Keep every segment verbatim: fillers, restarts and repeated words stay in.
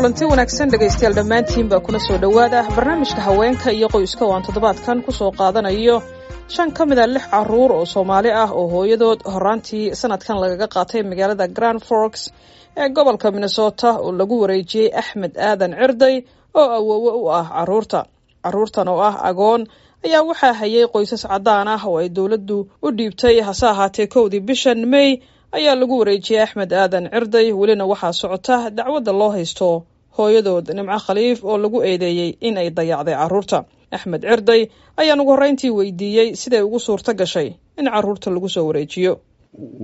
Kulanti wanaagsan, dhegaystayaal dhammaantiinba, kuna soo dhowaada barnaamijka haweenka iyo qoyska oo aan toddobaadkan kusoo qaadanayo shan ka mid a lix caruur oo Soomaali ah oo hooyadood horaantii sanadkan lagaga qaatay magaalada Grand Forks ee gobolka Minnesota oo lagu wareejiyey Axmed Aadan Cirday oo awoowe u ah caruurta. Caruurtan oo ah agoon ayaa waxaa hayay qoysas caddaan ah oo ay dowladdu u dhiibtay. Hase ahaatee, kowdii bishan May ayaa lagu wareejiyey Axmed Aadan Cirday. Welina waxaa socota dacwadda loo haysto hooyadood Nimco Khaliif oo lagu eedeeyey in ay dayacday caruurta. Axmed Cirday ayaan ugu horreyntii weydiiyey siday ugu suurto gashay in caruurta lagu soo wareejiyo.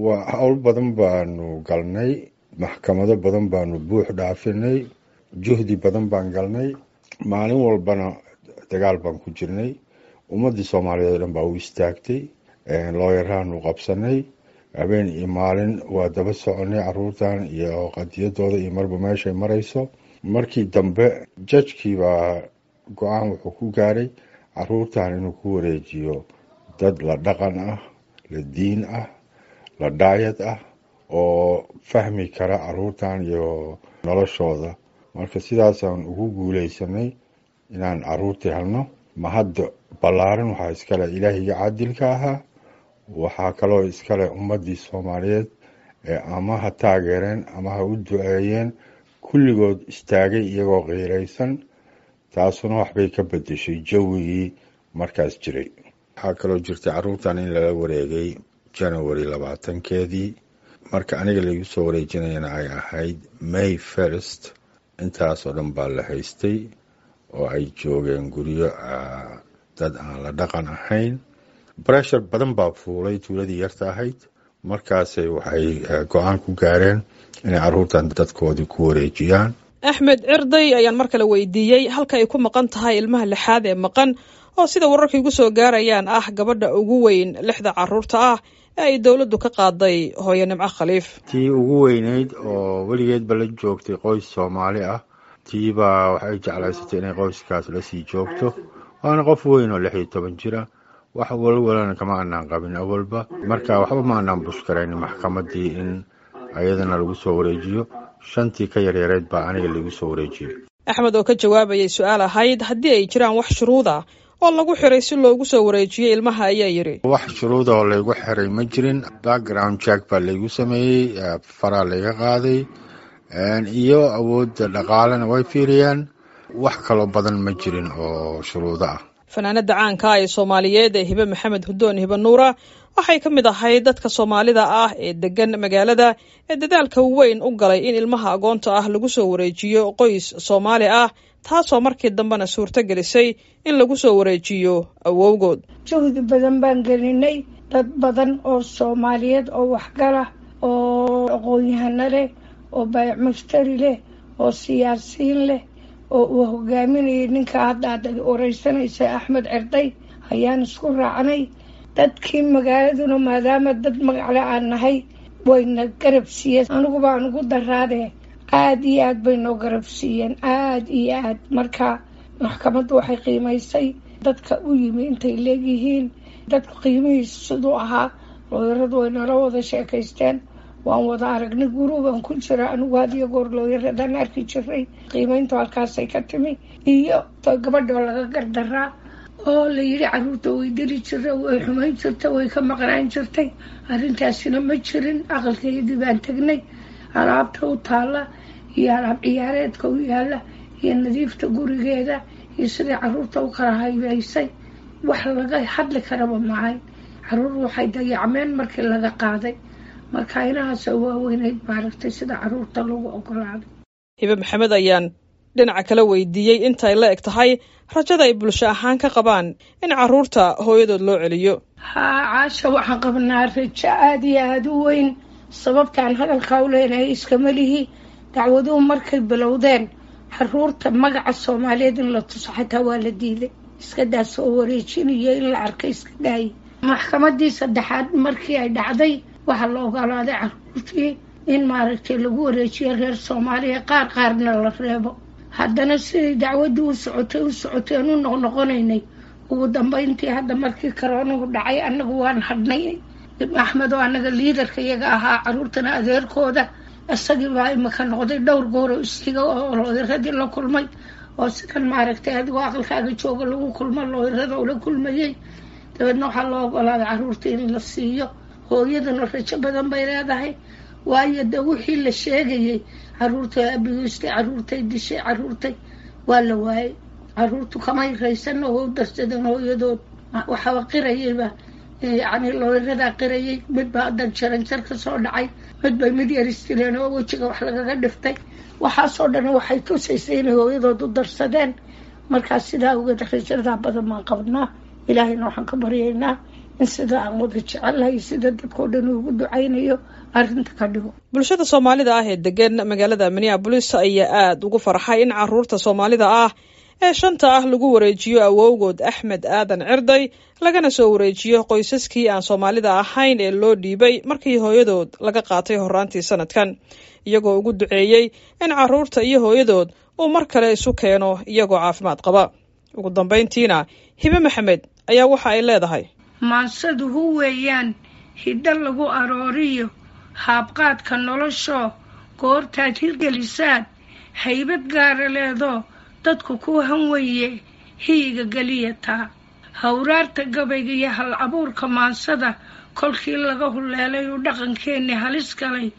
Waa hawl badan baanu galnay, maxkamado badan baanu buux dhaafinay, juhdi badan baan galnay, maalin walbana dagaal baan ku jirnay. Ummaddii Soomaaliyeed oo dhan baa u istaagtay, looyaraanu qabsanay, habeen iyo maalin waa daba soconay caruurtan iyo qadiyadooda iyo marba meeshay marayso. Markii dambe judge-kii baa go-aan wuxuu ku gaaray caruurtan inuu ku wareejiyo dad la dhaqan ah, la diin ah, la dhaayad ah oo fahmi kara caruurtan iyo noloshooda. Marka sidaasaan ugu guuleysanay inaan caruurtii helno. Mahadda ballaaran waxaa iskale Ilaahiyga caadilka ahaa, waxaa kaloo iskale ummaddii Soomaaliyeed ee ama ha taageereen ama ha u duceeyeen, kulligood istaagay iyagoo qiiraysan. Taasuna waxbay ka bedeshay jawigii markaas jiray. Waxaa kaloo jirtay caruurtan in lala wareegay January labaatankeedii, marka aniga laigu soo wareejinayana ay ahayd May first. Intaasoo dhan baa la haystay oo ay joogeen guryo dad aan la dhaqan ahayn. Pressure badan baa fuulay tuuladii yarta ahayd. Markaasay waxay go-aan ku gaareen inay caruurtan dadkoodii ku wareejiyaan. Axmed Cirday ayaan mar kale weydiiyey halka ay ku maqan tahay ilmaha lixaad ee maqan, oo sida wararka igu soo gaarayaan ah gabadha ugu weyn lixda caruurta ah ee ay dowladdu ka qaaday hooyo Nimco Khaliif. Tii ugu weyneyd oo weligeedba la joogtay qoys Soomaali ah, tiibaa waxay jeclaysatay inay qoyskaas lasii joogto, waana qof weyn oo lix iyo toban jira. Wax walwalana kama anaan qabin awalba, marka waxba ma anaan bushkarayn maxkamaddii in ayadana lagu soo wareejiyo. Shantii ka yaryareed baa aniga lagu soo wareejiyey. Axmed oo ka jawaabayay su-aal ahayd haddii ay jiraan wax shuruud ah oo lagu xiray si loogu soo wareejiyey ilmaha ayaa yidhi: Wax shuruuda oo laygu xiray ma jirin. Background check baa laygu sameeyey, faraa layga qaaday, iyo awoodda dhaqaalena way fiiriyaan. Wax kaloo badan ma jirin oo shuruudo ah. Fanaanada caanka ah ee Soomaaliyeed ee Hibe Maxamed Hudoon, Hibe Nuura, waxay ka mid ahayd dadka Soomaalida ah ee degan magaalada ee dadaalka weyn u galay in ilmaha agoonta ah lagu soo wareejiyo qoys Soomaali ah, taasoo markii dambena suurto gelisay in lagu soo wareejiyo awowgood. Juhdi badan baan gelinay, dad badan oo Soomaaliyeed oo waxgala oo aqoon-yahano leh oo baayac mushtari leh oo siyaasiyiin leh oo uu hogaaminayay ninka hadda aad wareysanaysa, Axmed Cirday, ayaan isku raacnay. Dadkii magaaladuna, maadaama dad magacle aan nahay, wayna garab siiyeen. Anigu baan ugu daraadee, aada iyo aad bay noo garab siiyeen, aada iyo aad. Marka maxkamaddu waxay qiimaysay dadka u yimi intay leegyihiin, dadku qiimihiisu siduu ahaa. Looyaradu way nala wada sheekaysteen, waan wada aragnay, guruubaan ku jira anigu had iyo goor looyaradan arki jiray. Qiimeyntu halkaasay ka timi, iyo gabadhoo laga gardaraa oo la yidhi caruurta way dili jirta, way xumayn jirtay, way ka maqnaan jirtay. Arrintaasina ma jirin. Aqalkeedii baan tegnay, alaabta u taalla iyo alaab ciyaareedka u yaalla iyo nadiifta gurigeeda iyo sidai caruurta u kala haybaysay, wax laga hadli karaba maahayn. Caruur waxay dayacmeen markii laga qaaday. Marka inahaasoo waaweyneyd maaragtay sida caruurta lagu ogolaaday. Hibe Maxamed ayaan dhinaca kala weydiiyey intay la eg tahay rajada ay bulsho ahaan ka qabaan in caruurta hooyadood loo celiyo. Haa Caasha, waxaan qabnaa rajo aada iyo aada u weyn. Sababtaan hadalkaa u leenahay iskama lihi. Dacwaduhu markay bilowdeen, caruurta magaca Soomaaliyeed in la tuso xataa waa la diiday, iska daa soo wareejinayo, in la arkay iska daayay. Maxkamadii saddexaad markii ay dhacday, waxaa la ogolaaday caruurtii in maaragtay lagu wareejiyo reer Soomaaliya, qaar qaarna la reebo. Haddana siday dacwadii u socotay u socotay aan u noqnoqonaynay, ugu dambeyntii hadda markii karoonuhu dhacay, annagu waan hadhnay. Axmed oo annaga liidarka iyaga ahaa, caruurtana adeerkooda, Isagii baa imika noqday dhowr goor oo istiga oo looyaradii la kulmay, oo sidan maaragtay adigoo aqalkaaga jooga lagu kulmo looyarada ula kulmayey. Dabeedna waxaa loo ogolaaday caruurta in la siiyo. Hooyaduna rajo badan bay leedahay, waayo de wixii la sheegayay, caruurtay abiyuustay, caruurtay dishay, caruurtay, waa la waayay. Caruurtu kamay raysan oo u darsadeen hooyadood. Waxaaba qirayayba, yacni looyaradaa qirayay. Mid baa haddan jaranjar ka soo dhacay, mid bay mid yaristireen oo wejiga wax lagaga dhiftay. Waxaasoo dhan waxay tusaysay inay hooyadood u darsadeen. Markaas sidaa awgeed rajadaa badan baan qabnaa. Ilaahayna waxaan ka baryaynaa in sida aan wada jecellahay, sida dadkao dhan ugu ducaynayo, arrinta ka dhigo. Bulshada Soomaalida ah ee degan magaalada Minneapolis ayaa aada ugu farxay in caruurta Soomaalida ah ee shanta ah lagu wareejiyo awowgood Axmed Aadan Cirday, lagana soo wareejiyo qoysaskii aan Soomaalida ahayn ee loo dhiibay markii hooyadood laga qaatay horaantii sanadkan, iyagoo ugu duceeyey in caruurta iyo hooyadood uu mar kale isu keeno iyagoo caafimaad qaba. Ugu dambayntiina Hibe Maxamed ayaa waxa ay leedahay: Maansaduhu weeyaan hiddo lagu arooriyo haabqaadka noloshoo, goortaad hirgelisaad haybad gaara leedoo dadku kuu hanweye hiyiga geliyataa. Hawraarta gabayga iyo hal abuurka maansada kolkii laga huleelay uu dhaqankeenni halis galay,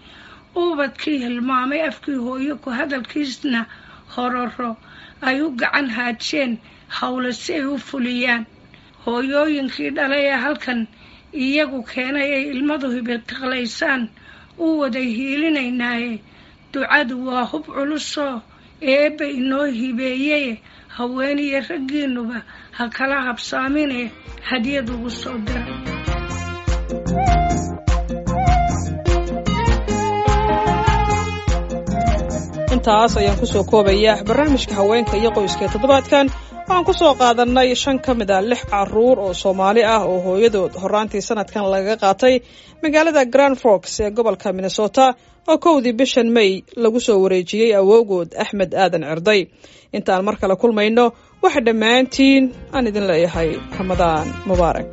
ubadkii hilmaamay afkii hooyo ku hadalkiisna, hororo ay u gacan haajeen howle si ay u fuliyaan. Hooyooyinkii dhalay ee halkan iyagu keenay ay ilmadu hibitiqlaysaan u waday hiilinaynaaye. Ducadu waa hub culusoo eebba inoo hibeeyeye, haweeniyo raggiinnuba ha kala habsaamine hadiyad ugu soo dira. Intaas ayaan kusoo koobaya barnaamijka haweenka iyo qoyska ee toddobaadkan. Waxaan ku soo qaadanay shan ka mid a lix caruur oo Soomaali ah oo hooyadood horaantii sanadkan lagaga qaatay magaalada Grand Forks ee gobolka Minnesota, oo kowdii bishan May lagu soo wareejiyey awowgood Axmed Aadan Cirday. Intaan mar kale kulmayno, waxa dhammaantiin aan idin leeyahay Ramadaan mubaarak.